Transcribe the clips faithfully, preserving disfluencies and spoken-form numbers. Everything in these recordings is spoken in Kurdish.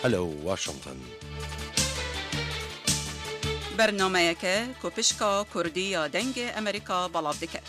Hello Washington. Bernameyeke ku pişka Kurdî ya Dengê Amerîka belav dike.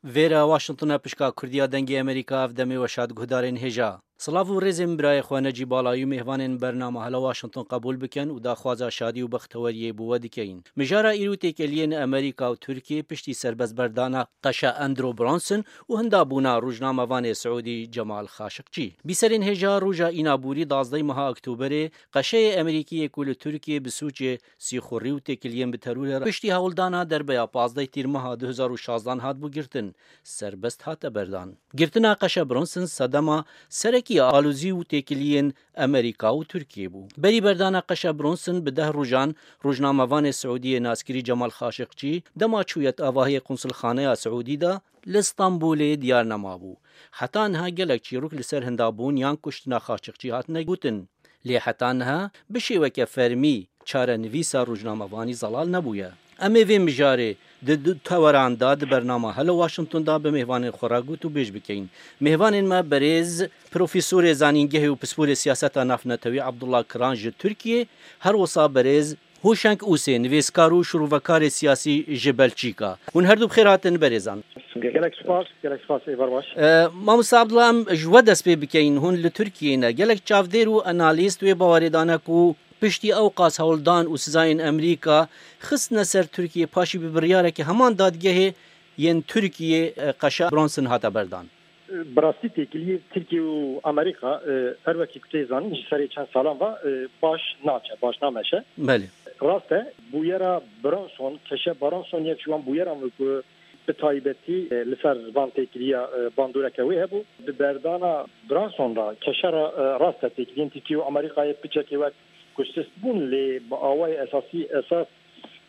Vêre Washington e, pişka Kurdiya Dengê Amerîka, ev demê we şad guhdarên hêja. Silav û rêzên birayê xwe Necîb Balayî û mêhvanên bernama Hello Washington qebûl bikin û daxwaza şadî û bexteweriyê bo we dikeyin. Mijara îro têkeliyên Amerîka û Tirkiyê piştî serbestberdana qeşa Andrew Bronson û hindabûna rojnamevanê Siûdî Cemal Xaşiqçî. Bîserên hêja roja înaborî dazdeh meha Oktoberê qeşeyê Amerîkî yê ku li Tirkiyê bi sûcê sîxurî û têkiliyên bi terorê re piştî hewldana derbeya pazdeh tîrmeha du hezar û şazdan hatibû girtin, serbest hate berdan. Girtina qeşa Bronson sedema serekî ya alozî û têkiliyên Amerîka û Tirkiyê bû. Berî berdana qeşa Bronson bi deh rojan rojnamevanê Siûdiyê naskirî Cemal Xaşiqçî dema çûye di avahiyê qunsulxaneya Siûdî de li Stenbolê diyar nemabû. Heta niha gelek çîrok li ser hindabûn yan kuştina Xaşiqçî hatine gotin. Lê heta niha bi şêweke fermî çarenivîsa rojnamevanî zelal nebûye. Em ê vê mijarê di du teweran de di bernama Hello Washington de bi mêvanên xwe re gotûbêj bikeyin. Mêvanên me berêz Profesorê Zanîngehê û Pisporê Siyaseta Navnetewî Abdullah Kiran ji Tirkiyê, her wisa berêz Hoşeng Ûsê, nivîskar û şirovekarê siyasî ji Belçîka. Hûn her du bi xêr hatin berêzan. Gelek spas, gelek spas, êvar baş. E, Mamoste Abdullah, em ji we dest pê bikeyin. Hûn li Tirkiyeyê ne. Gelek çavdêr û analîst wê bawerê dane ku piştî ew qas hewldan û sizayên Amerîka xistine ser Tirkiyê, paşî bi biryareke heman dadgehê yên Tirkiyê, e, qeşa Bronson hate berdan. Bi rastî têkiliyê Tirkiye û Amerîka, e, her wekî ku tê zanîn ji serê çend salan ve, e, baş naçe, baş nameşe. Belê. Rast e, bûyera Bronson, keşe Bronson yek ji wan bûyeran bû ku bi taybetî, e, li ser van têkiliya, e, bandoreke wê hebû. Bi berdana Bronson re keşe re, e, rast e, têkiliyên Tirkiye û Amerîkayê piçekê wek ku sist bûn, lê bi awayê esasî esas,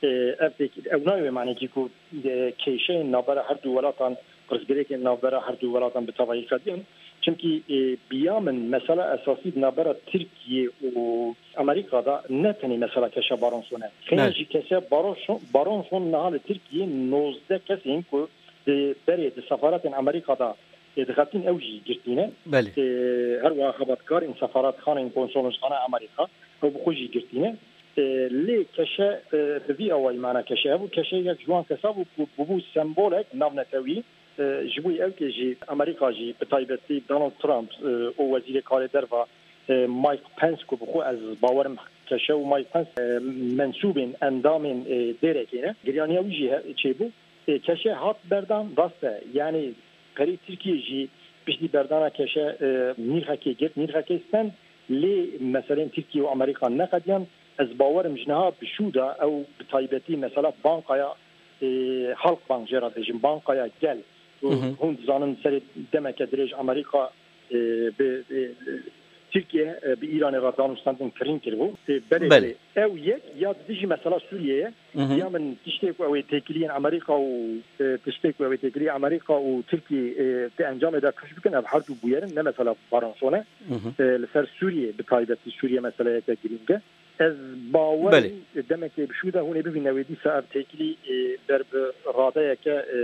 e, ev têk-, ew nayê wê manekî ku, e, kêşeyên navbera her du welatan, pirsgirêkên navbera her du welatan bi tevahî qediyan. Çimkî, e, bi ya min mesela esasî di navbera Tirkiye û Amerîka de ne tenê mesela keşa Baronson e. Xêr Evet. jî keşa Baronson, Baronson niha li Tirkiye nozdeh kesên ku di berê di sefaretên Amerîka de, e, dixebitîn ew jî girtî ne. Belê. E, her wiha xebatkarên sefaretxanên konsolosxana Amerîka ew bi xwe jî girtî ne. E, lê keşe, e, bi vî awayî mana keşe hebû. Keşe yek ji wan kesa bû ku bûbû sembolek navnetewî. E, ji bo ew kê jî Amerîka jî bi taybetî Donald Trump, e, û Wezîrê Karê Derva, e, Mike Pence ku bi xwe ez bawerim keşe û Mike Pence, e, mensûbên endamên, e, dêrekê ne. Giryaniya wî jî he-, çêbû. E, keşe hat berdan, rast e. Yanî perê Tirkiye jî piştî berdana keşe, e, nîrxekê girt, nîrxekê stend. Lê meselên Tirkiye û Amerîka neqediyan. Ez bawerim ji niha bi şû de ew bi taybetî mesela bankaya, e, Halkbank jê re dibêjin, bankaya gel. Hı hı. Hûn dizanin serê demeke dirêj Amerîka, e, bi, e, Tirkiye, e, bi Îranê re danûstandin kirîn kiribû. E, belê, Belê. belê. Ew yek ya di dijî mesela Sûriyê ye. Hı hı. Ya min tiştê ku ew ê têkiliyên Amerîka û, e, tiştê ku ew ê têkiliyê Amerîka û Tirkiye, e, di encamê de kuşt bikin, ev her du bûyerin ne mesela Baronson e. Hı hı. E, li ser Sûriyê, bi taybetî Sûriye meseleyeke girîng e. Ez bawer Belê. im, demekê bi şû de hûn ê bibîne wê dîsa ev têkilî, e, ber bi radeyeke, e,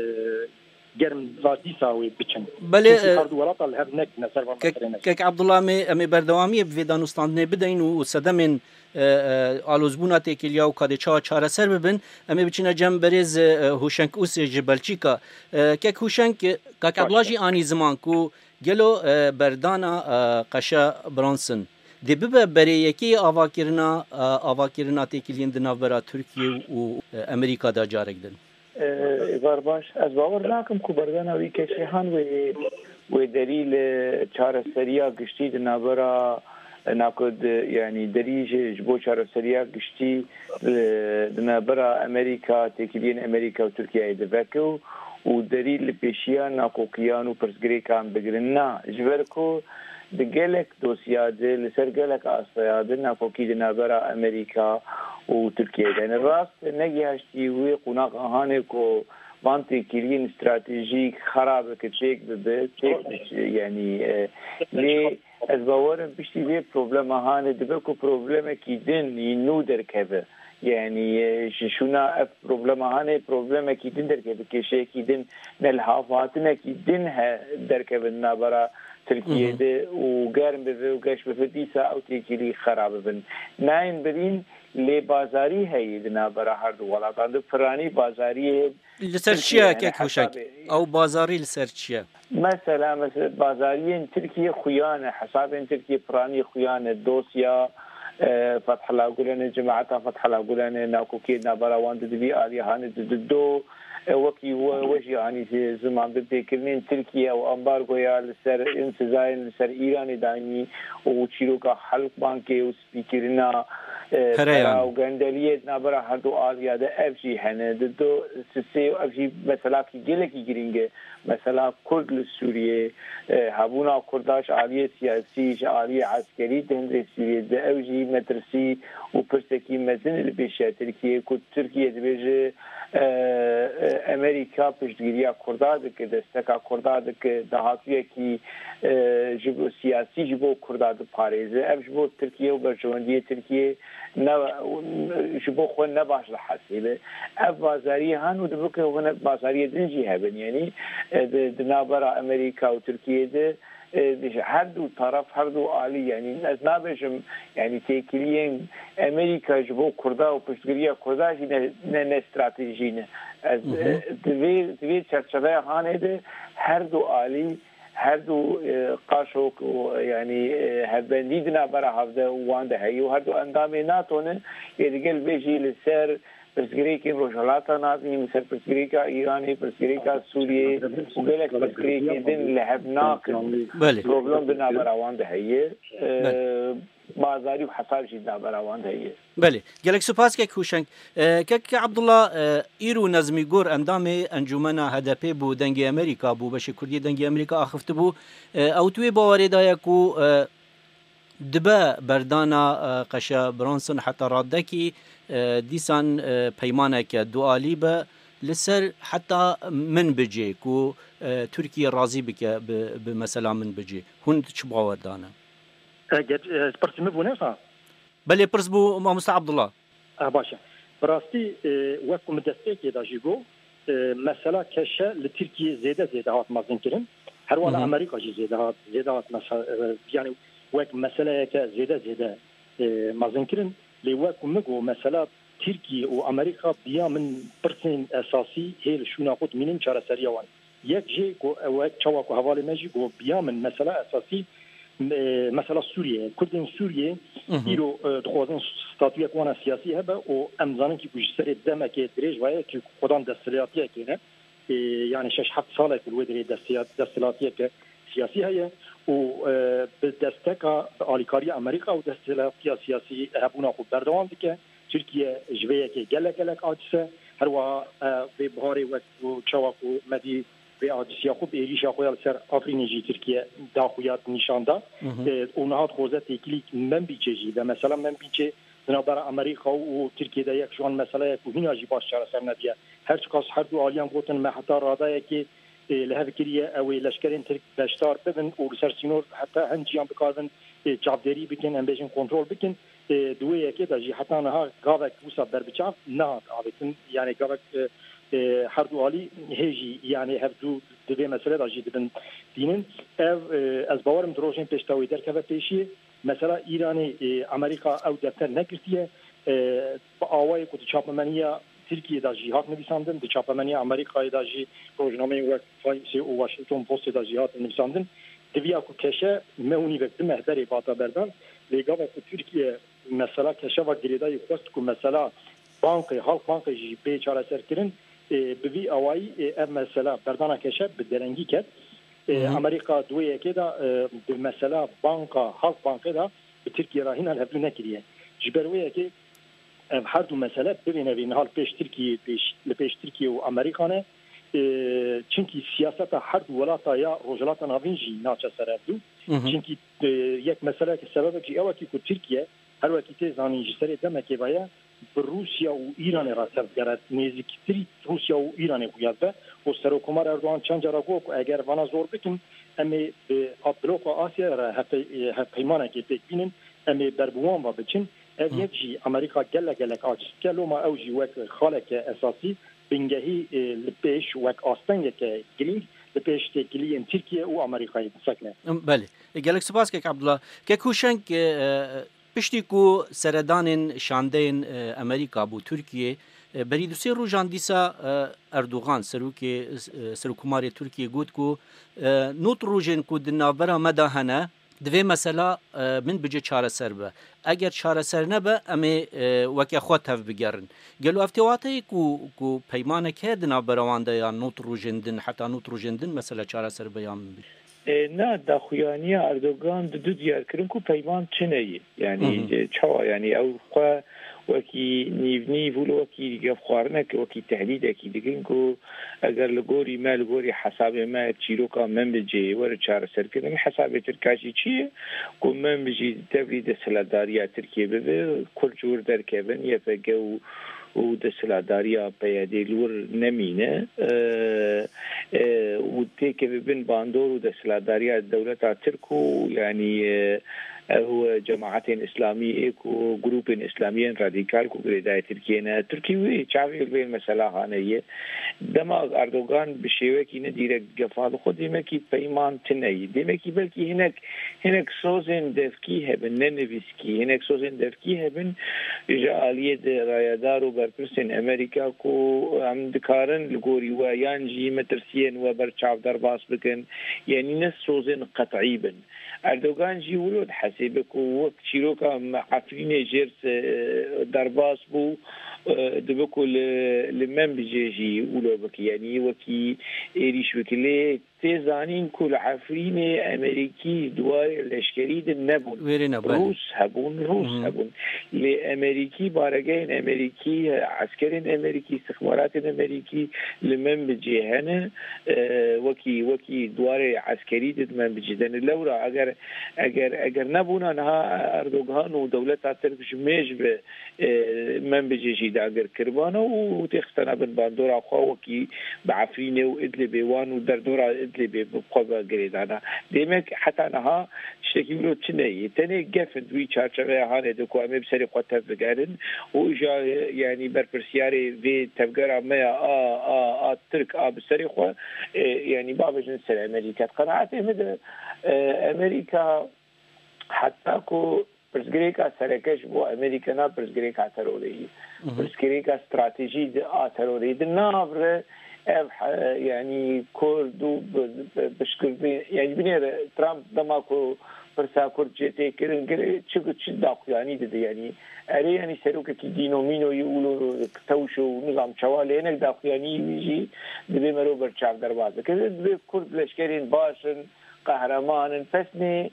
germ va dîsa wê biçin. Belê, Çimkî e, her du welata li hev nekine ser van kek, meselê nekine. Kek Abdullah, em ê, em ê berdewamiyê bi vê danûstandinê bideyin û, û sedemên, e, e, alozbûna têkiliya û kadê çawa çareser bibin, em ê biçine cem berêz, e, e, Hûşeng Ûsê ji Belçîka. E, kek Hûşeng, e, Kak Baş Abdullah e. jî anî ziman ku gelo, e, berdana, e, qeşa Bronson dê bibe berê yekê avakirina, e, avakirina têkiliyên di navbera Tirkiye û, e, Amerîka de carek din? E, Êvar baş, ez bawer nakim ku berdana wî keşê han wê, wê derî li çareseriya giştî di navbera, e, nako di, yanî derî ji, ji bo çareseriya giştî, e, di navbera Amerîka, têkiliyên Amerîka û Tirkiyeyê diveke û, û derî li pêşiya naqokiyan û pirsgirêkan bigirin. Na, ji ber ku di gelek dosya de, li ser gelek astaya de naqokî di navbera Amerîka û Tirkiyeyê de ne. Rast negihaştî wê qonaxa hanê ku van têkiliyên stratejîk xera bike, çêk bibe, çêk biçe, yanî, e, lê Ez bawer im piştî vê problema hanê dibe ku problemekî din yî nû derkeve. Yanî, e, ji şûna ev problema hanê problemekî din derkeve, kêşeyekî din, nelhavhatinekî din he derkeve di navbera Tirkiyê de û germ bibe û geş bibe, dîsa ew têkilî xera bibin. Nayên birîn, lê bazarî heye di navbera her du welatan de. Piranî bazariyê Li ser çi ye, Tirkiye, yanî kek Huşek? Hesabê Ew bazarî li ser çi ye? Mesela, mesela bazariyên Tirkiye xuya ne, hesabên Tirkiye piranî xuya ne, dosya, e, Fethullah Gulen e, cemaeta Fethullah Gulen e, nakokiyê navbera wan de di vî aliyê hanê de dido, e, wekî we, we jî anî zi-, ziman bi pêkirinên Tirkiye û ambargoya li ser, in sizayên li ser Îranê dayînî û çîroka Halkbankê û spîkirina, e, Pereyan. Pera û gendeliyê di navbera her du aliya de ev jî hene. Di do sisê ev jî meselakî gelekî girîng e. Mesela Kurd li Sûriyê, e, hebûna Kurda ji aliyê siyasî, ji aliyê eskerî di hundirê Sûriyê de ew jî metirsî û pirsekî mezin li pêşiya Tirkiyê ku Tirkiye dibêje, e, e, Amerîka piştgiriya Kurda dike, desteka Kurda dike, dahatûyekî, e, ji bo siyasî ji bo Kurda diparêze. Ev ji bo Tirkiye û berjewendiyê Tirkiye ne, ji bo xwe ne baş dihesîbe. Ev bazariyê han û dibike hûn bazariyê din jî hebin. Yanî, e, di, di navbera Amerîka û Tirkiye de, e, di her du taraf, her du alî, yanî ez nabêjim, yanî têkiliyên Amerîka ji bo Kurda û piştgiriya Kurda jî ne, ne, ne stratejî ne. Ez, Hı hı. e, di vê, di vê çerçeveya hanê de her du alî, her du, e, qaşok û, yanî, e, hevbendî di navbera hevde û wan de heye û her du endamê nato ne, yê digel vê jî li ser pirsgirêkên Rojhilata Navîn, li ser pirsgirêka Îranê, pirsgirêka Sûriyê û gelek pirsgirêkên din li hev nakin. Belê. Problem di navbera wan de heye. E, Belê. Bazarî û hesab jî di navbera wan de heye. Belê. Gelek spas kek Huşeng. E, kek Abdullah, e, îro Nezmî Gur endamê Encûmena H D P bû, Dengê Amerîka bû, beşê Kurdî Dengê Amerîka axivtibû. E, ew di wê bawerê de ye ku, e, dibe berdana, e, Qeşe Bronson heta radekî, e, dîsan, e, peymaneke dualî be li ser heta Minbicê ku, e, Tirkiye razî bike bi, bi mesela Minbicê. Hûn çi bawer dane? E, ge-, e, pirsî min bû ne wisa? Belê, pirs bû mamoste Abdullah. E, baş e. Bi rastî, e, wek ku min destpêkê de jî got, e, mesela Keşe li Tirkiyê zêde zêde hat mezinkirin. Her wala Hı hı. Amerîka jî zêde hat, zêde hat mesa-, e, yanî wek meseleyeke zêde zêde, e, mezinkirin. Lê wek ku min got, mesela Tirkiye û Amerîka biya min pirsên esasî hê li şûna xwe dimînin çareseriya wan. Yek jê ku ew e, çawa ku hevalê me jî got, biya min mesela esasî, e, mesela Sûriye ye. Kurdên Sûriye Hı hı. îro, e, dixwazin statuyek wana siyasî hebe û em zanin kî ku ji serê demekê dirêj ve ye kî xwedan desthilatiyekê ne. E, yanî şeş heft sal e ku li wê derê desthilat-, desthilatiyeke siyasî heye û, e, bi desteka, bi alîkariya Amerîka û desthilatiya siyasî hebûna xwe berdewam dike. Tirkiye ji vê yekê gelek gelek aciz e. Her wiha, e, vê biharê wek ku çawa ku me dî vê acisiya xwe bi êrîşa xwe ya li ser Efrînê jî Tirkiye da xuya nîşan da. Hı hı. E, û niha dixwaze têkilî Menbîçê jî be. Mesela Menbîçê di navbera Amerîka û Tirkiye de yek ji wan mesele ye ku hîna jî baş çareser nebiye. Her çiqas her du aliyan gotin me heta radeyekê, e, li hev kiriye ew ê leşkerên Tirk beşdar bibin û li ser sînor heta hin ciyan bikaribin, e, çavdêrî bikin, em bêjin kontrol bikin. E, di wê yekê de jî heta niha gavek wisa berbiçav nehat avêtin. Yanî gavek, e, e, her du alî hê jî, yanî hev du di vê meselê de jî dibin dînin. Ev, e, ez bawerim di rojên pêşta wê derkeve pêşiyê. Mesela Îranê, e, Amerîka ew defter negirtiye. E, bi awayê ku di çapemeniya Tirkiyê de jî hat nivîsandin, di çapemeniya Amerîkayê de jî, rojnameyên wek Timesê û Washington Postê de jî hat nivîsandin. Diviya ku Keşe meh û nîvek, du meh berê bata berdan, lê gava ku Tirkiye mesela Keşe ve girêdayî xwest ku mesela bankê, Halkbankê jî bê çareserkirin, e, bi vî awayî, e, ev mesela berdana Keşe bi derengî ket. E, Hı hı. Amerîka di wê yekê de, e, bi mesela banka, Halkbankê de bi Tirkiye re hîna li hevdû nekiriye. Ji ber wê yekê ev her du mesele bibêne vê niha li pêş Tirkiyê, pêş, li pêş Tirkiye û Amerîka ne. E, çimkî siyaseta her du welata ya Rojhilata Navîn jî naçe ser hevdû. Hı hı. Çimkî, e, yek meseleyeke sebebek jî ew e kî ku Tirkiye her wekî tê zanîn ji serê demekê ve ye, bi Rûsya û Îranê re tevgere, nêzîktirî Rûsya û Îranê xuya dibe û Serokkomar Erdogan çend cara got ku eger vana zor bikin, Em ê bi bloka Asyayê re hevpey-, hevpeymanekê pêk bînin, em ê ber bi wan ve biçin. Ev yek jî Amerîka gelek gelek aciz dike, loma ew jî wek xaleke esasî bingehî, e, li pêş wek astengeke girîng li pêş têkiliyên Tirkiye û Amerîkayê disekine. Belê. E, gelek spas kek Abdullah. Kek Hûşeng, e, e, piştî ku seredanên şandeyên, e, Amerîka bû Tirkiye, e, berî du sê rojan dîsa, e, Erdogan, serokê, e, serokkomarê Tirkiye got ku, e, nod rojên ku di navbera me de hene, divê mesela, e, min bice çareser be. Eger çareser nebe, em ê, e, weke xwe tev bigerin. Gelo ev tê wateyê ku, ku peymanek heye di navbera wan de ya nod rojên din, heta nod rojên din mesela çareser be ya min bice? E, na, daxuyaniya Erdogan di du diyar kirin ku peyman çi ne ye. Yani, e, çawa, yani, ew xwe wekî nîv nîv û li wekî gefxwarinek, wekî tehdîdekî dikin ku eger li gorî me, li gorî hesabê me çîroka Menbicê were çareserkirin, hesabê Tirka jî çi ye? Ku Menbicî devrî desthilatdariya Tirkiye bibe, Kurd ji wir derkevin, Y P G û, û desthilatdariya P Y D li wir nemîne, e, e, û têkeve bin bandor û desthilatdariya dewleta Tirk û, yanî, e, ew cemaetên Îslamî ê ku grûpên Îslamiyên radîkal ku girêdayê Tirkiyê ne, Tirkî wê çavê li vê mesela hane ye. Dema Erdogan bi şêwekî ne dîrekt gefa dixwe, demekî peyman tune ye. Demekî belkî hinek, hinek sozên devkî hebin, ne nivîskî. Hinek sozên devkî hebin ji aliyê de rayedar û berpirsên Amerîka ku em dikarin li gorî we yan jî metirsiyên we ber çav derbas bikin. Yanî ne sozên qet'î bin. Erdogan jî wilo dihesêbe ku wek çîroka me Efrînê jêr se-, derbas bû, e, dibe ku li, li Menbicê jî wilo bike, yanî wekî êrîş bike. Lê tê zanîn ku li Efrînê Emerîkî di warê leşkerî de nebûn. Wêrê ne, belê. Rûs hebûn, Rûs Hı. hebûn. Lê Emerîkî, baregehên Emerîkî, eskerên Emerîkî, istixbaratên Emerîkî li Menbicê hene. E, wekî, wekî di warê eskerî de di Menbicê de ne. Lewra eger, eger, eger nebûna niha Erdogan û dewleta Tirk ji mêj bi, e, Menbicê jî dagir kiribana û têxistana bin bandora xwe wekî bi Efrînê û Idlibê wan û derdora Idlibê bi xwe ve girêdana. Demek heta niha tiştekî wilo tune ye. Tenê gef in di wî çarçeveya hanê de ku em ê bi serê xwe tev bigerin û îja, yanî berpirsiyarê vê tevgera me ya a, a, a Tirk a bi serê xwe, e, yanî bavêjin ser Amerîka. Di qenaetê min de, e, Amerîka heta ku pirsgirêka sereke ji bo Amerîka na pirsgirêka terorê ye. Hı hı. Pirsgirêka stratejî di a terorê di nav re ev he-, yanî Kurd û bi, bi, piştgirtin, yanî binêre Trump dema ku pirsa Kurd jê tê kirin, gire çi, çi daxuyanî dide, yanî erê, yanî serokekî dîno mîno yî û tewş û nizam çawa lê hinek daxuyanî wî jî divê mero ber çav derbas bike. Divê Kurd leşkerên baş in, qehreman in, pesnê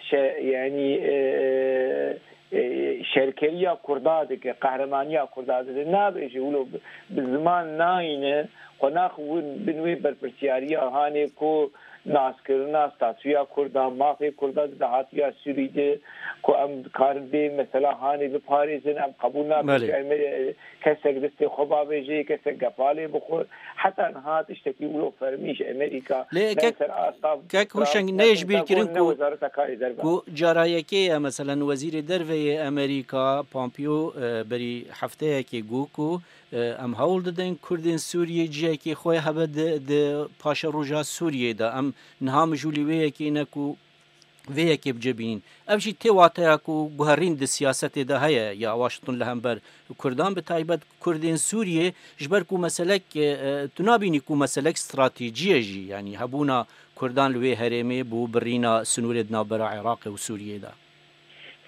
şe-, yanî, e, e, şerkeriya Kurda dike, qehremanîya Kurda dike. Nabêje wilo bi, bi ziman nayîne, xwe naxwin bin wê berpirsiyariya hanê ku naskirina statûya Kurda, mafê Kurda di dahatiya Sûrî de ku em dikarin vê mesela hanê biparêzin, em qebûl nakin Belê. ku em, e, kesek destê xwe bavêje, kesek gefalê bixwe. Heta niha tiştekî wilo fermî ji Amerîka Lê ne kek, ser asta kek Trump, Hûşeng ne neyê ji bîr Pentagon, kirin ne ku, Wezareta Karê Derve. ku cara yekê ye, meselen, Wezîrê Derve yê Amerîka, Pompeo, e, berî hefteyekê got ku, e, em hewl didin Kurdên Sûriyê cihekê xwe hebe di, di paşeroja Sûriyê de. Em niha mijûlî wê yekê ne ku vê yekê bicebînin. Ev jî tê wateya ku guherîn di siyasetê de heye ya Washington li hember Kurdan, bi taybet Kurdên Sûriyê, ji ber ku meselek, e, e, tu nabînî ku meselek stratejî ye jî, yanî hebûna Kurdan li wê herêmê bo birîna sinûrê di navbera Iraqê û Sûriyê de.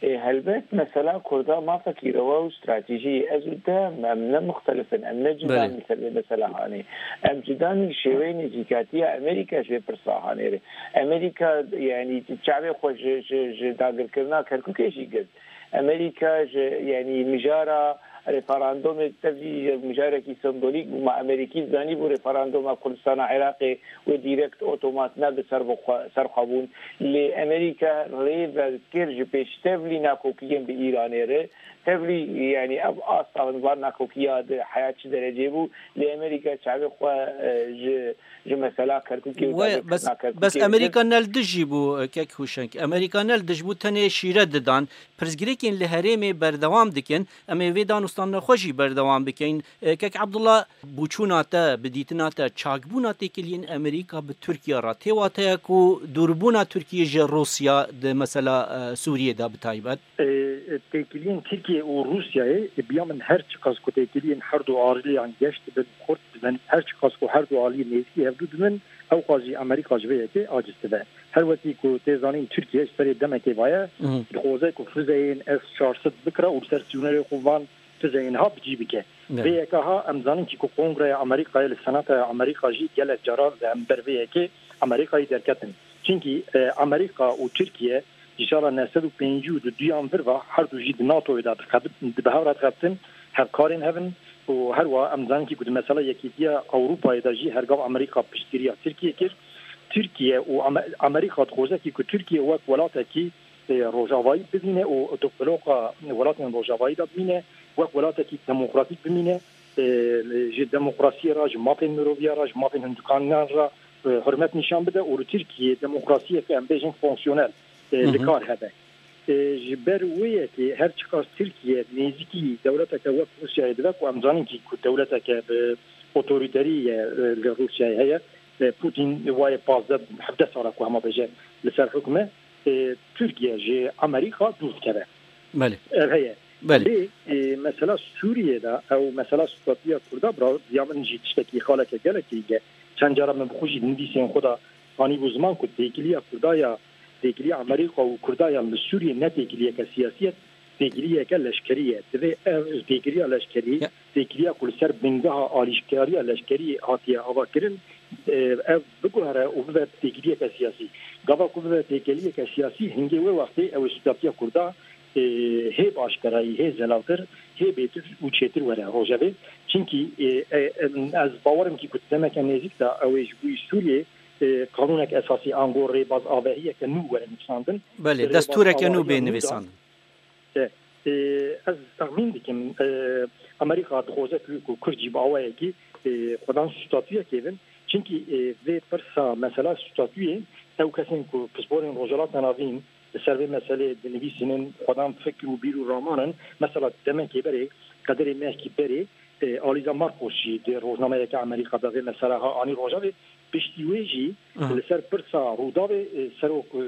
E, helbet mesela Kurda mafekî rewa û stratejî ye. Ez û te em ne muxtelif in, em ne cuda Belê. in li ser vê mesela hanê. Em cuda in li şêweyê nêzîkatiya Amerîka ji vê pirsa hanê re. Amerîka, yanî çavê xwe ji, ji, ji dagirkirina Kerkûkê jî girt. Amerîka ji, yanî mijara Referandumê tevî mijarekî sembolîk bû. Me Amerîkî zanîbû referanduma Kurdistana Iraqê wê dîrekt otomat ne bi ser bixwe, ser xwe bûn. Lê Amerîka rê ve kir ji pêş tevlî nakokiyên bi Îranê re. Tevlî, yanî ev asta van nakokiya di heya çi derecê bû. Lê Amerîka çavê xwe, e, ji, ji mesela Kerkûkê û We, bes, bes Amerîka ne li dij jî bû, e, kek Hûşeng. Amerîka ne li dij bû, tenê şîret didan. Pirsgirêkên li herêmê berdewam dikin. Em ê vê danûstana xwe jî berdewam bikeyin. E, kek Abdullah, bûçûna te, bi dîtina te, çakbûna têkiliyên Amerîka bi Tirkiye re tê wateya ku dûrbûna Tirkiye ji Rûsya di mesela, e, Sûriyê de bi taybet? E, têkiliyên Tirkiye û Rûsyayê, e, biya min her çiqas ku têkiliyên her du aliyan geş dibin, xurt dibin, her çiqas ku her du alî nêzîkî hevdû dibin, ew qas jî Amerîka ji vê yekê aciz dibe. Her wekî ku tê zanîn Tirkiye ji serê demekê vaye, Mhm. dixwaze ku fizeyên S çar sed bikira û li ser sînorê xwe van fizeyên ha bi cî bike. Ne. Vê yeka ha em zanin kî ku Kongreya Amerîkayê li Senataya Amerîka jî gelek caran li hember vê yekê Amerîkayê derketin. Çimkî, e, Amerîka û Tirkiye ji sala neh sed û pêncî û duyan vir ve her du jî di NATOyê de dixebit-, di bi hev re dixebitin, hevkarên hev in û her wiha em zanin kî ku di mesela Yekîtiya Ewropayê de jî her gav Amerîka piştgiriya Tirkiye kir. Tirkiye û Ame-, Amerîka dixwaze kî ku Tirkiye wek welatekî, e, rojavayî bibîne û di bloka welatên rojavayî de bimîne, wek welatekî demokratîk bimîne, e, ji demokrasiyê re, ji mafên miroviya re, ji mafên hindikaniyan re, e, hurmet nîşan bide û li Tirkiyeyê demokrasiyeke, em bêjin, fonksiyonel, e, Hı hı. li kar hebe. E, ji ber wê yekê her çiqas Tirkiye nêzîkî dewleteke wek Rûsyayê dibe ku em zanin kî ku dewleteke bi otorîterî ye, e, li Rûsyayê heye. E, Putin wayê pazdeh hevdeh sala ku hema bêje li ser hukm e. E, Tirkiye ji Amerîka dûr dikeve. Belê. Ev heye. Belê. Lê, e, mesela Sûriyê de ew mesela statûya Kurda bira, ya min jî tiştekî xaleke gelek girîng e. Çend cara min bi xwe jî di nivîsên xwe de anîbû ziman ku têkiliya Kurda ya, têkiliya Amerîka û Kurda ya li Sûriyê ne têkiliyeke siyasî ye, têkiliyeke leşkerî ye. Divê ev têkiliya leşkerî, Ya. têkiliya ku li ser bingeha alîşkariya leşkerî hatiye avakirin, e, ev biguhere û bibe têkiliyeke siyasî. Gava ku bibe têkiliyeke siyasî, hingê wê wextê ew ê stûdatiya Kurda, e, hê bi aşkerayî, hê zelaltir, hê bêtir û çêtir were rojevê. Çimkî, e, e, em, ez bawerim kî ku demeke nêzîk de ew ê ji bo Sûriyê, e, qanûnek esasî ango rêbaz avehiyeke nû were nivîsandin. Belê, Rêbaz destûreke nû awahiya bê nû de nivîsandin. E, e, ez texmîn dikim, e, Amerîka dixwaze ku, ku Kurd jî bi awayekî, e, xwedan statûyekê bin. Çimkî, e, vê pirsa mesela statûyê ew kesên ku pisporên Rojhilata Navîn li ser vê meselê dinivîsînin, xwedan fikr û bîr û raman in. Mesela demekê berê qederê mehkî berê, e, Alîza Marcos jî di rojnameyeke Amerîka de vê mesela ha anî rojevê. Piştî wê jî Aha. li ser pirsa Rûdawê, e, serok, e,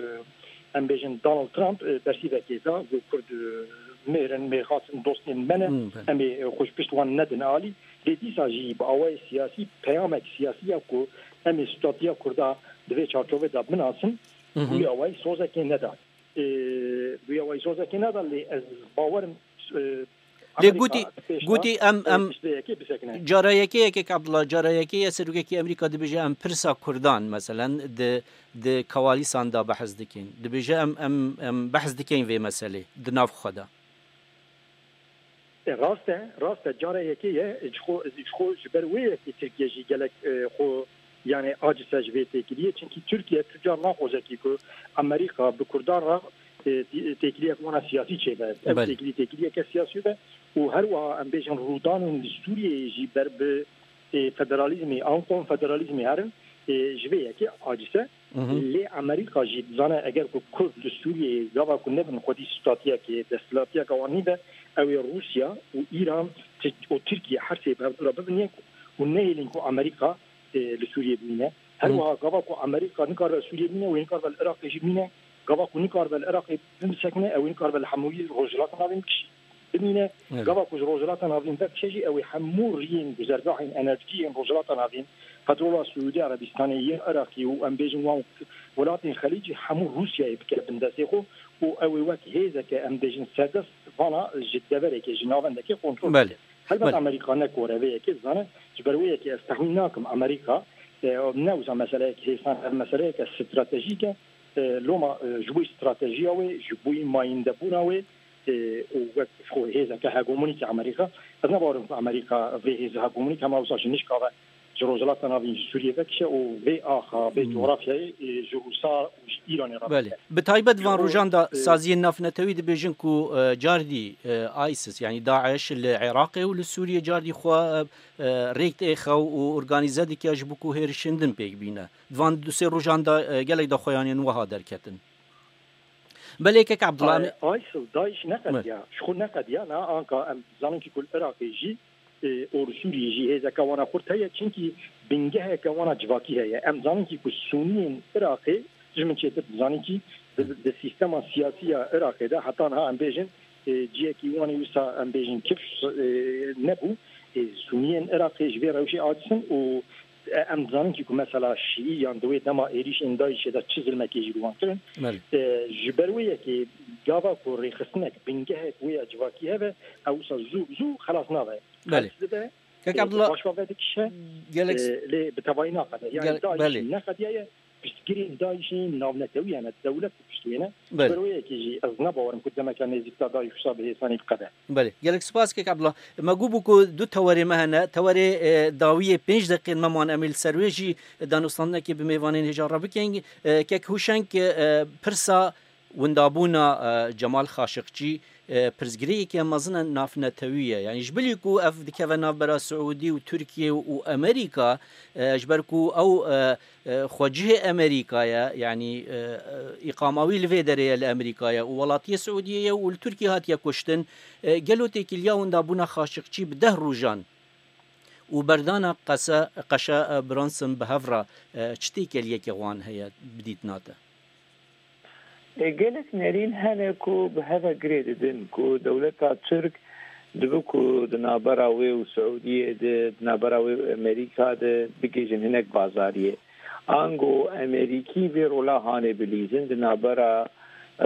em bêjin Donald Trump, e, bersîvekê da, got Kurd, e, mêr in, mêrxas in, dostên me ne, Hmm, belê. em ê, e, xwe ji pişt wan nedin alî. Lê dîsa jî bi awayê siyasî, peyamek siyasî ya ku em ê stûdatiya Kurda di vê çarçovê de binasin, Hı hı. bi wî awayî sozekê neda. E, bi wî awayî sozekê neda, lê ez bawerim, e, Lê Amerîka gotî, pêş gotî de, em, e, em piştê yekê bisekine. Cara yekê yekek Abdullah, cara yekê ye serokekî Amerîka dibêje em pirsa Kurdan, meselen, di, di kewalîsan de behs dikin. Dibêje em, em, em behs dikin vê meselê di nav xwe de. E, rast e, rast e. Cara yekê ye, ji xwe, ji xwe ji ber wê yekê Tirkiye jî gelek, e, xwe, yani, aciz e ji vê têkiliyê. Çimkî Tirkiye tu car naxwaze kî ku Amerîka bi Kurdan re, e, tê-, têkiliyek wana siyasî çêbe. Ev Belê. têkilî, têkiliyeke siyasî be û her wiha em bêjin rûdanên li Sûriyeyê jî ber bi, e, federalîzmê an konfederalîzmê herin, e, ji vê yekê aciz e. Mhm. Lê Amerîka jî dizane eger ku Kurd li Sûriyeyê gava ku nebin xwedî stûdatiya ke desthilatiyeke wan nîbe, ew ê Rûsya û Îran ti-, û Tirkiye her sê bi hevdû re bibinê û nehêlin ku Amerîka, e, li Sûriyê bimîne. Her Mhm. wiha gava ku Amerîka nikaribe li Sûriyê bimîne, wê nikaribe li Iraqê jî bimîne. Gava ku nikaribe li Iraqê bisekine, ew ê nikaribe li hemûyî Rojhilata Navîn bikişî-, bimîne. Evet. Gava ku ji Rojhilata Navîn vekişe jî, ew ê hemû riyên, guzergahên enerjiyên Rojhilata Navîn, petrola Siûdî Erebistanê, yên Iraqê û em bêjin wan welatên Xelîcî hemû Rûsyayê bike bin destê xwe û ew ê wek hêzeke, em bêjin, serdest vana ji deverekê, ji navendekê kontrol Belê. bike. Helbet Belê. Amerîka ne kore vê yekê dizane, ji ber wê yekê ez tehmîn nakim Amerîka, e, ne wisa meseleyek hêsan, ev meseleyeke stratejîk e. E, loma, e, ji bo stratejiya wê, ji bo mayîndebûna wê, û wek xwe hêzeke hegemonîk ya Amerîka. Ez ne bawerim ku Amerîka vê hêzê hegemonîk hema wisa ji nişka ve ji Rojhilata Navîn, ji Sûriyê vekişe û vê axa, vê coğrafyayê, e, ji Rûsa û ji Îranê re Belê. Bike. Bi taybet van Ji bo, rojan de e, saziyên navnetewî dibêjin ku, e, cardî, e, ISIS, yanî DAIŞ li Iraqê û li Sûriyê cardî xwe, e, e, rêk dixe û organîze dike ji bo ku hêrişên din pêk bîne. Di van du sê rojan de, e, gelek daxuyaniyên wiha derketin. Belê kek Abdullah. Ay, ISIL, DAIŞ neqediya. Ji xwe neqediya, na anka em zanin ki ku li Iraqê jî, e, û li Sûriyê jî hêzeke wana xurt heye, çimkî bingeheke wana civakî heye. Em zanin ki ku Sûniyên Iraqê, ji min çêtir dizanin ki di, di sîstema siyasî ya Iraqê de heta niha em bêjin, e, ciyekî wan ê wisa em bêjin kifş, e, nebû. E, Sûniyên Iraqê ji vê rewşê aciz in û, e, em dizanin ki ku mesela Şîî yan di wê dema êrîşên DAIŞê de çi zilmekê jî li wan kirin. Belê. E, ji ber wê yekê gava ku rêxistinek, bingehek wê ya civakî hebe, ew wisa zû bi zû xelas nabe. Belê. Qels dibe, Kek e, Abdullah, paşva vedikişe, gelek e, lê bi tevayî naqede. Yani gel-, DAIŞ belê. Neqediyaye, piştgirên DAIŞê navnetewî hene, dewlet pişt wê ne. Belê. Ji ber wê yekê jî ez ne bawerim ku demeke nêzîk de DAIŞ wisa bi hêsanî biqede. Belê. Gelek spas kek Abdullah. Me gû bû ku du tewerê me hene. Tewerê, e, dawiyê pênc deqên me man, em ê li ser wê jî danûstandinekê bi mêvanên hêja re bikin. E, kek Hûşeng, e, pirsa windabûna, e, Cemal Xaşiqçî, e, pirsgirêkeke mezin e navnetewî ye. Yanî ji bilî ku ev dikeve navbera Siûdî û Tirkiye û Amerîka, e, ji ber ku ew, e, e, xwecihê Amerîka ye, yanî, e, e, îqama wî li vê derê ye li Amerîka ye û welatiyê Siûdiyê ye û li Tirkiye hatiye kuştin. E, gelo têkiliya windabûna Xaşiqçî bi deh rojan û berdana qese, qeşa, e, Bronson bi hev re, e, çi têkeliyeke wan heye bi dîtina te? E, gelek nerîn hene ku bi hev ve girê didin ku dewleta Tirk dibe ku di navbera wê û Siûdiyê de, di navbera wê û Amerîka de bigihîjin hinek bazariyê. Ango Amerîkî vê rola hanê bilîzin di navbera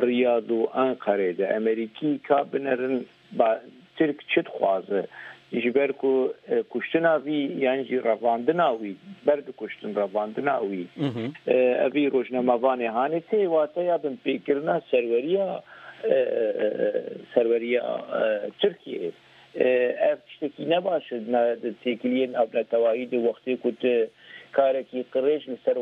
Riyad û Enqerê de. Amerîkî ka binerin ba, Tirk çi dixwaze? Ji ber ku, e, kuştina vî yan jî revandina wî, ber dikuştin revandina wî, Mhm. e, evî rojnamevanê hanê tê wateya binpêkirina serweriya, e, e, e, serweriya, e, Tirkiyeyê. E, ev tiştekî ne baş e, na, di têkiliyên navnetewahî di wextê ku tu karekî qirêj li ser,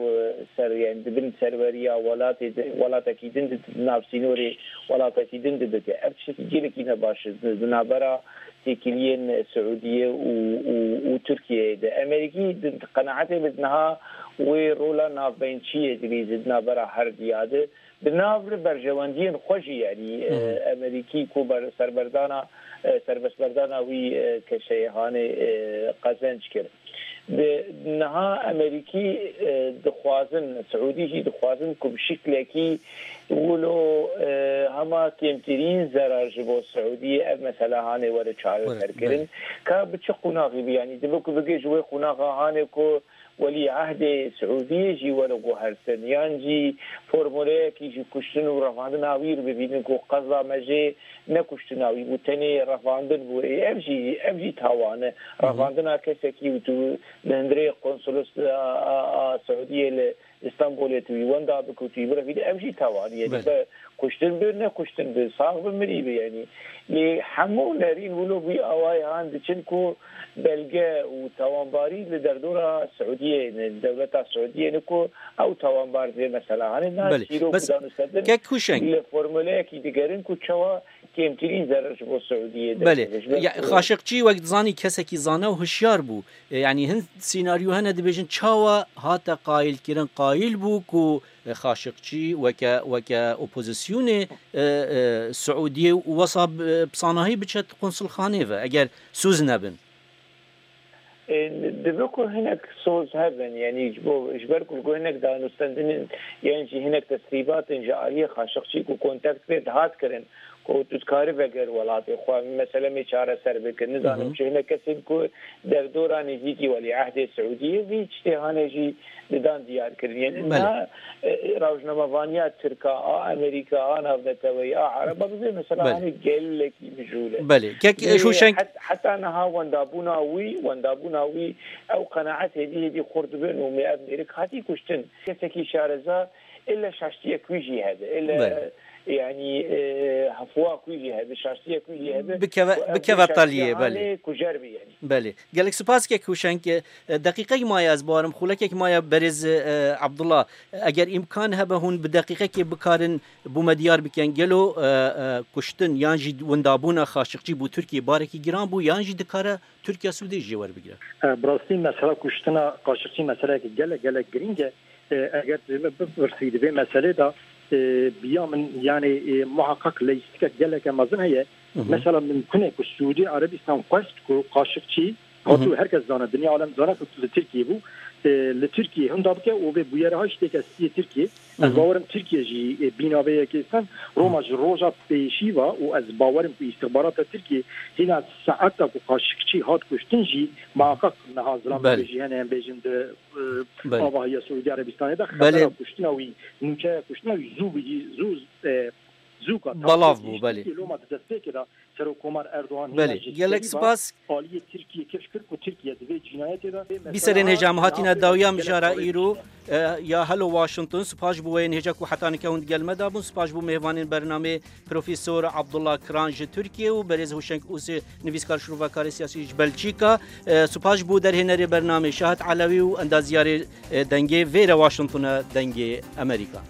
ser, yani di bin serweriya welatê di, welatekî din di, di nav sînorê welatekî din di bike. Ev tiştekî gelekî ne baş e. Di, di navbera têkiliyên Siûdiyê û, û, û Tirkiyeyê de. Amerîkî di, di qenaetê min niha wê rola navbeyntçiyê dilîze di navbera her diya de. Di nav li berjewendiyên xwe jî, yanî, e, Hı hı. Amerîkî ku ber-, serberdana, e, serbestberdana wî, e, keşeyê hanê, e, qezenc kir. Di niha Amerîkî, e, dixwazin, Siûdî jî dixwazin ku bi şiklekî wilo, e, hema kêmtirîn zerar ji bo Siûdiyê ev mesela hanê were çareserkirin. Were, belê. Ka bi çi qonaxî bi, yanî dibe ku bigê ji wê qonaxa hanê ku welîehdê Siûdiyê jî were guhertin, yan jî formuleyekî ji kuştin û revandina wî re bibînin ku qeza me jê ne kuştina wî bû, tenê revandin bû. Ê, ev jî, ev jî tawan e. Hı hı. Revandina kesekî û tu li hundirê konsolos a, a, a Siûdiyê li Îstanbulê tu wî wenda bike û tu wî birevî de, ev jî tawan e. Belê. Be kuştin bi, ne kuştin bi, sax bi, mirî bi, yanî. Lê hemû nerîn wilo vî awayê han diçin ku belge û tawanbarî li derdora Siûdiyê ne, dewleta Siûdiyê ne ku ew tawanbar vê mesela hanê na Belê. Çîrok Bes û danûstendin kek Huşeng. Li formuleyekî digerin ku çawa kêmtirîn zerar ji bo Siûdiyê Belê. Derkeve. Ji ber Ya, ku Xaşiqçî wek dizanî kesekî zane û hişyar bû. E, yanî hin sînaryo hene dibêjin çawa hate qayilkirin, qayil bû ku, e, Xaşiqçî weke, weke opozisyonê, e, e, Siûdiyê û wesa bi, bi sanahî biçe konsulxanê ve, eger sûz nebin. E, dibe ku hinek soz hebin, yanî ji bo, ji ber ku hinek danûstendinên, yan jî hinek tesrîbatên ji aliyê Xaşiqçî ku kontakt pê dihat kirin, ku tu dikarî veger welatê xwe, mesele me çareser bike. Nizanim Hı hı. çi hinek kesên ku derdora nêzîkî welîehdê Siûdiyê vî tiştê hane jî didan diyar kirin. Yanî Belê. niha, e, rojnamevaniya Tirka, a Amerîka, a navneteweyî, a Ereba bi vê mesela Belê. hanê gelekî mijûl e. Belê. Kek, e, Lê Huşeng het-, heta niha wendabûna wî, wendabûna wî ew qenaetê dî hêdî xurt dibin û me ev mêrik hatî kuştin. Kesekî şareza, ille şaştiyek wî jî hebe, ille Belê. Yani e, hefoa ku jî hebe, şaştiye ku jî hebe, Bikeve- ku ev bikeve şaştiye taliyê, hane belê. Ku cer bi yani. Belê. Gelek spas kek Huşenk. E, deqîqek maye ez barim, xulekek maye berêz e, Abdullah. Eger îmkan hebe hûn bi deqîqekê bikarin bo me diyar bikin. Gelo e, e, kuştin yan jî windabûna Xaşiqçî bo Tirkiye barekî giran bû yan jî dikare Tirkiye sûdê jê werbigire? E, bi rastî mesela kuştina Xaşiqçî meseleyeke gelek gelek girîng e. E, eger tu me bipirsî di vê meselê de e, biya min yani e, muhakkak leyîstikek geleke mezin heye. Mesela mimkun e ku Sûdî Erebîstan xwest ku Xaşiqçî, hatû her kes zane, dinya alem zane ku li Tirkiyê bû. E, li Tirkiyê hinda bike û vê bûyere ha jî têke stiyê Tirkiyê. Ez bawerim Tirkiye jî e, bîna vê yekê sen Roma ji roja pêşî ve û ez bawerim ku îstixbarata Tirkiyê hîna saeta ku Xaşiqçî hat kuştin jî muhakkak niha zilamekê Belê. Jî hene em bêjin di e, Belê. Avahiya Sûdî Erebîstanê de Belê. Xebera kuştina wî, nûçeya kuştina wî zû bigî-, zû e, zûka Belav bû, belê. Loma di destpêkê de Serokkomar Erdogan Belê. Gelek spas. Aliyê Tirkiye keş kir ku Tirkiye di vê cinayetê de Bîserên hêja em hatine dawiya mijara îro e, ya Hello Washington. Spas ji bo wê yên hêja ku heta nika hûn digel me de bûn. Spas ji bo mêvanên bernamê Profesor Abdullah Kiran ji Tirkiye û berêz Huşenk Ûsê, nivîskar şrovakarê siyasî ji Belçîka. E, spas ji bo derhênerê bernamê Şahat Elewî û endaziyarê e, dengê vêre Washington e, dengê Amerîka.